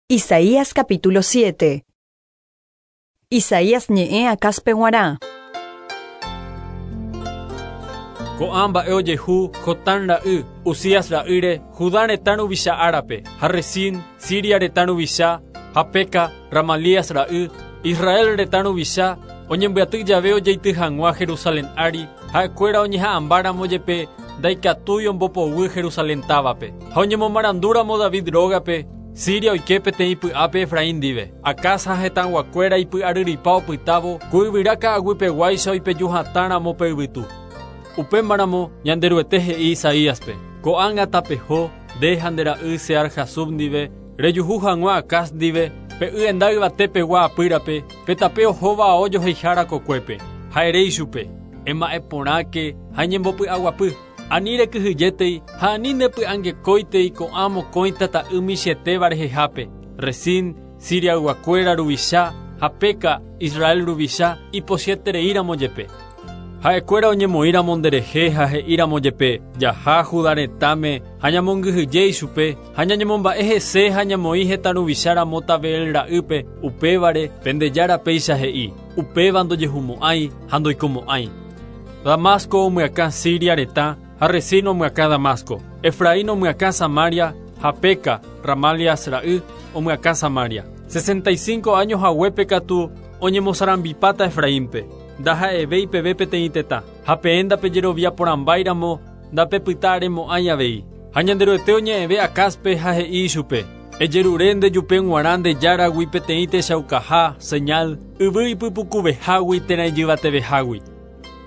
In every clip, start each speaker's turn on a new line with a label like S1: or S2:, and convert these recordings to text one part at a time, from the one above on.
S1: Isaías capítulo 7. Isaías ñe'ẽ Acazpe g̃uarã.
S2: Ko'ã mba'e ojehu Jotán ra'y, Uzías ra'ýre, Judá retã ruvicha árape, ha Resín, Siria retã ruvicha, ha Peka, Ramalías ra'y, Israel retã ruvicha, oñembyaty jave ojeity hag̃ua Jerusalén ári, ha'ekuéra oñeha'ãmbáramo jepe ndaikatúi ombopoguy Jerusalén távape. Ha oñemomarandúramo David rógape, Siria oike peteĩ py'ápe Efraín ndive. Acaz ha hetãguakuéra ipy'aryryipa opytávo, ku yvyra ka'aguypeguáicha oipeju hatãramo pe yvytu. Upémaramo Ñanderuete he'i Isaíaspe, Ko'ág̃a tapeho, nde ha nde ra'y Sear-Jasub ndive, rejuhu hag̃ua Acaz ndive, pe y enda yvate pegua apýrape, pe tape ohóva ao joheihára kokuépe. Ha ere ichupe, Ema'ẽ porãke ha eñembopy'aguapy. Ani rekyhyjétei ha ani nepy'angekóitei ko'ã mokõi tata'y michĩetéva rehehápe, Resín, Siriayguakuéra ruvicha, ha Peka, Israel ruvicha, ipochyetereíramo jepe. Ha'ekuéra oñemoĩramo nderehe ha he'íramo jepe, Jaha Judá retãme ha ñamongyhyje ichupe, ha ñañemomba'e hese ha ñamoĩ hetã ruvicha ramo Tabeel ra'ýpe, upévare, pende Jára péicha he'i, Upéva ndojehumo'ãi ha ndoikomo'ãi. Damasco omyakã Siria retã ha Resín omyakã Damasco. Efraín omyakã Samaria ha Peka, Ramalias ra'y, omyakã Samaria. 65 áño haguépe katu oñemosarambipáta Efraínpe, ndaha'evéi peve peteĩ tetã. Ha peẽ ndapejerovia porãmbáiramo ndapepyta aremo'ãi avei. Ha Ñanderuete oñe'ẽve Acázpe ha he'i ichupe, Ejerure nde jupe g̃uarã nde Járagui peteĩ techaukaha, señal, yvy ipypukuvehágui térã ijyvatevehágui.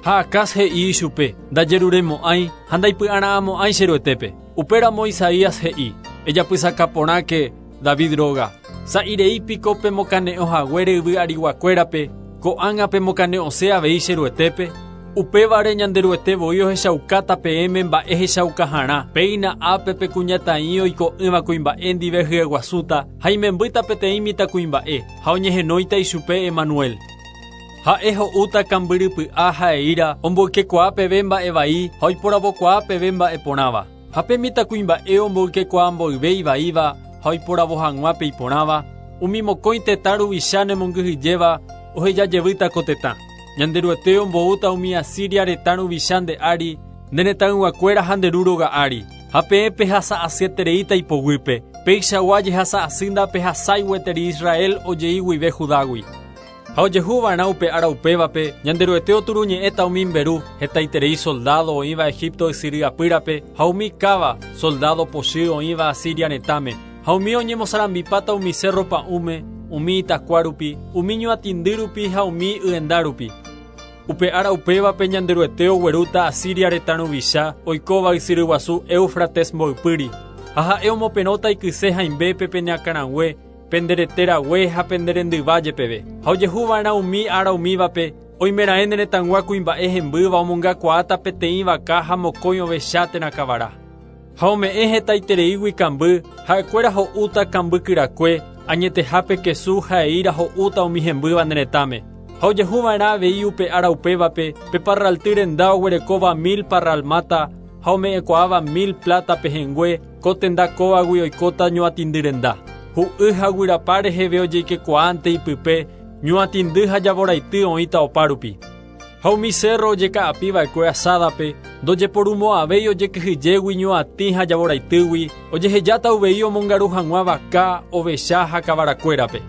S2: Ha Acaz he'i ichupe, Ndajeruremo'ãi ha ndaipy'ara'ãmo'ãi che Ruetépe. Upéramo Isaías he'i, Ejapysaka porãke, David róga. Sa'i rei piko pemokane'õ haguére yvy ariguakuérape, ko'ág̃a pemokane'õse avei che Ruetépe? Upévare Ñanderuete voi ohechaukáta peẽme mba'e hechaukaharã, péina ápe pe kuñataĩ oiko'ỹva kuimba'e ndive hyeguasúta ha imembýta peteĩ mitãkuimba'e, ha oñehenóita ichupe Emanuel. Ha'e ho'úta kambyrypy'a ha eíra omboykekuaa peve mba'e vai ha oiporavokuaa peve mba'e porãva. Ha pe mitãkuimba'e omboykekuaa mboyve ivaíva ha oiporavo hag̃ua pe iporãva, umi mokõi tetã ruvicha nemongyhyjéva oheja jevýta ko tetã. Ñanderuete omboúta umi Asiria retã ruvicha nde ári, nde retãyguakuéra ha nde ru róga ári, ha peẽ pehasa asyetereíta ipoguýpe, peichagua jehasa asy ndapehasái gueteri Israel ojei guive Judágui. Ha ojehu va'erã upe ára upévape, Ñanderuete oturuñe'ẽta umi mberu, hetaiterei soldádo oĩva Egipto ysyry apýrape ha umi káva, soldádo pochy oĩva Asiria retãme, ha umi oñemosarambipáta umi sérro pa'ũme, umi itakua rupi, umi ñuatĩndy rupi ha umi yenda rupi. Upe ára upévape Ñanderuete oguerúta Asiria retã ruvicha oikóva ysyry guasu Éufrates mboypýri, ha ha'e omoperõta ikyse hãimbépe pene akãrague, pende rete rague ha pende rendyva jepeve. Ha ojehu va'erã umi ára umívape, oimeraẽ ne retãgua kuimba'e hembýva omongakuaáta peteĩ vaka ha mokõi ovecha térã kavara. Ha ome'ẽ hetaitereígui kamby, ha'ekuéra ho'úta kamby kyrakue, añetehápe kesu ha eíra ho'úta umi hembýva ne retãme. Ha ojehu va'erã avei upe ára upévape, pe parralty renda oguerekóva mil parral máta ha ome'ẽkuaáva mil pláta pehẽngue, Ko tenda kóvagui oikóta ñuatĩndy renda. Hu'y ha guyrapa reheve ojeikekuaánte ipype, ñuatĩndy ha javoraity oĩta opárupi. Ha umi sérro ojeka'api va'ekue asádape, ndojeporumo'ãvéi ojekyhyjégui ñuatĩ ha javoraitýgui, ojehejáta uvei omongaru hag̃ua vaka, ovecha ha kavarakuérape.